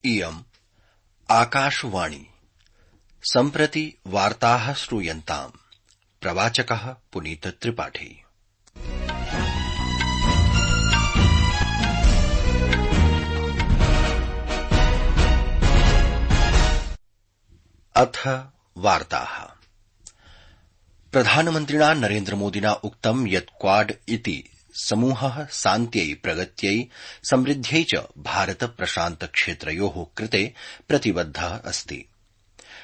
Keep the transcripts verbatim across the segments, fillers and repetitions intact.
इयम् आकाशवाणी सम्प्रति वार्ताः श्रूयन्ताम्। प्रवाचकः पुनीत त्रिपाठी। अथ वार्ताः। प्रधानमन्त्रिणा नरेन्द्रमोदिना उक्तं यत् क्वाड इति समूहः शान्त्यै, प्रगत्यै, समृद्ध्यै च भारत प्रशान्त क्षेत्रयोः कृते प्रतिबद्धः अस्ति।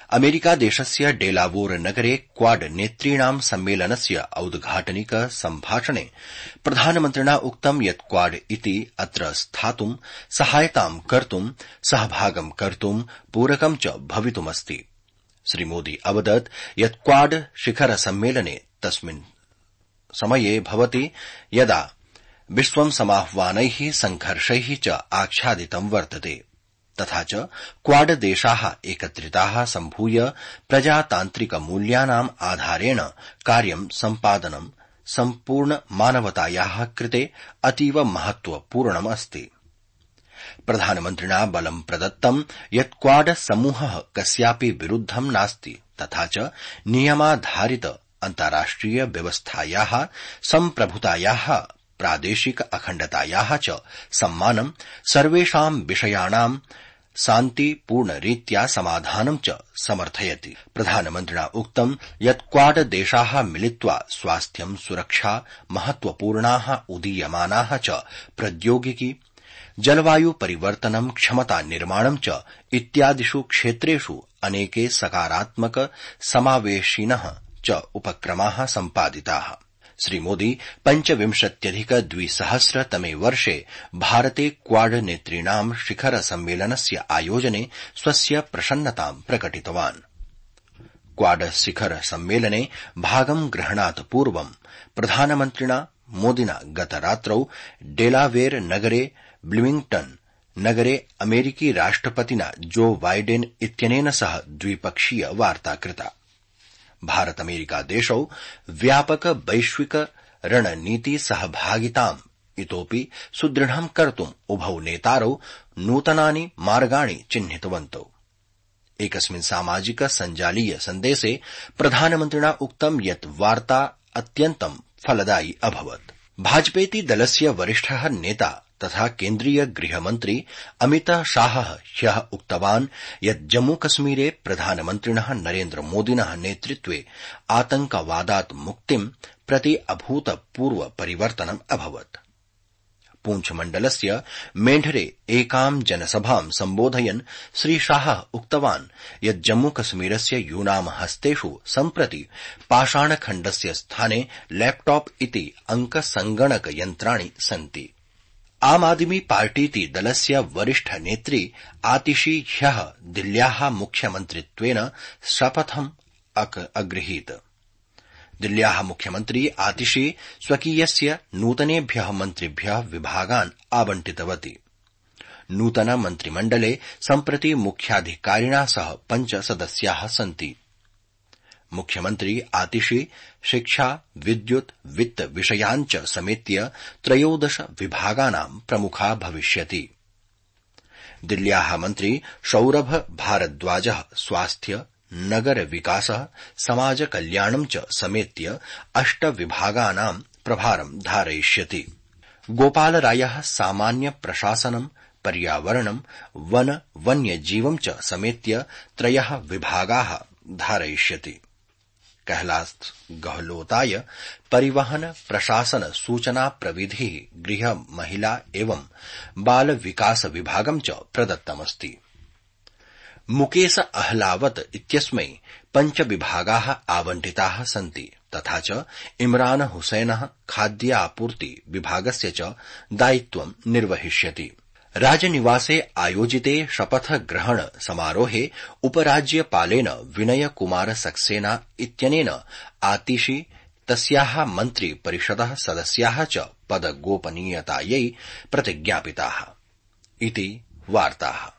अमेरिकादेशस्य डेलावोर नगरे क्वाड नेतॄणां सम्मेलनस्य औद्घाटनिक सम्भाषणे प्रधानमन्त्रिणा उक्तं यत् क्वाड इति अत्र स्थातुं, सहायतां कर्तुं, सहभागं कर्तुं, पूरकं च भवितुमस्ति। श्रीमोदी अवदत् यत् क्वाड शिखर सम्मेलने तस्मिन् समये भवति यदा विश्वं समाह्वानैः, संघर्षैः च आच्छादितं वर्तते, तथा च क्वाड देशाः एकत्रिताः सम्भूय प्रजातान्त्रिक मूल्यानाम् आधारेण कार्यं सम्पादनं सम्पूर्ण मानवतायाः कृते अतीव महत्वपूर्णम् अस्ति। प्रधानमन्त्रिणा बलं प्रदत्तं यत् क्वाड समूहः कस्यापि विरुद्धं नास्ति, तथा च नियमाधारित अन्ताराष्ट्रिय व्यवस्थायाः, सम्प्रभुतायाः, प्रादेशिक अखण्डतायाः च सम्मानं, सर्वेषां विषयाणां शान्तिपूर्णरीत्या समाधानं च समर्थयति। प्रधानमन्त्रिणा उक्तं यत् क्वाड देशाः मिलित्वा स्वास्थ्यं, सुरक्षा, महत्वपूर्णाः उदीयमानाः च प्रौद्योगिकी, जलवायु परिवर्तनं, क्षमता निर्माणं च इत्यादिषु क्षेत्रेषु अनेके सकारात्मक समावेशिनः च उपक्रमाः सम्पादिताः। श्रीमोदी पञ्चविंशत्यधिक द्विसहस्रतमे वर्षे भारते क्वाड नेतॄणां शिखर सम्मेलनस्य आयोजने स्वस्य प्रसन्नतां प्रकटितवान्। क्वाड शिखर सम्मेलने भागं ग्रहणात् पूर्वं प्रधानमन्त्रिणा मोदिना गतरात्रौ डेलावेर नगरे, ब्लूमिंग्टन नगरे अमेरिकी राष्ट्रपतिना जो बाइडेन इत्यनेन सह द्विपक्षीय वार्ता कृता। भारत अमेरिका देशौ व्यापक वैश्विक रणनीति सहभागिताम् इतोपि सुदृढं कर्तुम् उभौ नेतारौ नूतनानि मार्गाणि चिह्नितवन्तौ। एकस्मिन् सामाजिक सञ्जालीय सन्देशे प्रधानमन्त्रिणा उक्तं यत् वार्ता अत्यन्तं फलदायी अभवत्। भाजपेति दलस्य वरिष्ठः नेता तथा केन्द्रीय गृहमन्त्री अमित शाहः ह्यः उक्तवान् यत् जम्मूकश्मीरे प्रधानमन्त्रिणः नरेन्द्रमोदिनः नेतृत्वे आतंकवादात् मुक्तिं प्रति अभूतपूर्व परिवर्तनम् अभवत्। पूंछमण्डलस्य मेढरे एकां जनसभां सम्बोधयन् श्रीशाहः उक्तवान् यत् जम्मूकश्मीरस्य यूनां हस्तेषु सम्प्रति पाषाणखण्डस्य स्थाने लैपटॉप इति अंकसंगणक यन्त्राणि सन्ति। आम आदमी पार्टीति दलस्य वरिष्ठ नेत्री आतिशी ह्यः दिल्ल्याः मुख्यमन्त्रित्वेन शपथम् अगृहीत। दिल्ल्याः मुख्यमन्त्री आतिशी स्वकीयस्य नूतनेभ्यः मन्त्रिभ्यः विभागान् आवण्टितवती। नूतन मन्त्रिमण्डले सम्प्रति मुख्याधिकारिणा सह पञ्च सदस्याः सन्ति। मुख्यमन्त्री आतिशी शिक्षा, विद्युत्, वित्त विषयान् च समेत्य त्रयोदश विभागानां प्रमुखा भविष्यति। दिल्ल्याः मन्त्री सौरभ भारद्वाजः स्वास्थ्य, नगर विकासः, समाज कल्याणं च समेत्य अष्ट विभागानां प्रभारं धारयिष्यति। गोपालरायः सामान्य प्रशासनं, पर्यावरणं, वन वन्यजीवं च समेत्य त्रयः विभागाः धारयिष्यति। कैलाश गहलोताय परिवहन, प्रशासन, सूचना प्रविधि, गृह, महिला एवं बाल विकास विभागं च प्रदत्तमस्ति। मुकेश अहलावत इत्यस्मै पञ्च विभागाः आवण्टिताः सन्ति, तथा च इमरान हुसैनः खाद्यापूर्ति विभागस्य च दायित्वं निर्वहिष्यति। राजनिवासे आयोजिते शपथ ग्रहण समारोहे उपराज्यपालेन विनय कुमार सक्सेना इत्यनेन आतिशी, तस्याः मन्त्री परिषदः सदस्याः च पदगोपनीयतायै प्रतिज्ञापिताः इति वार्ताः।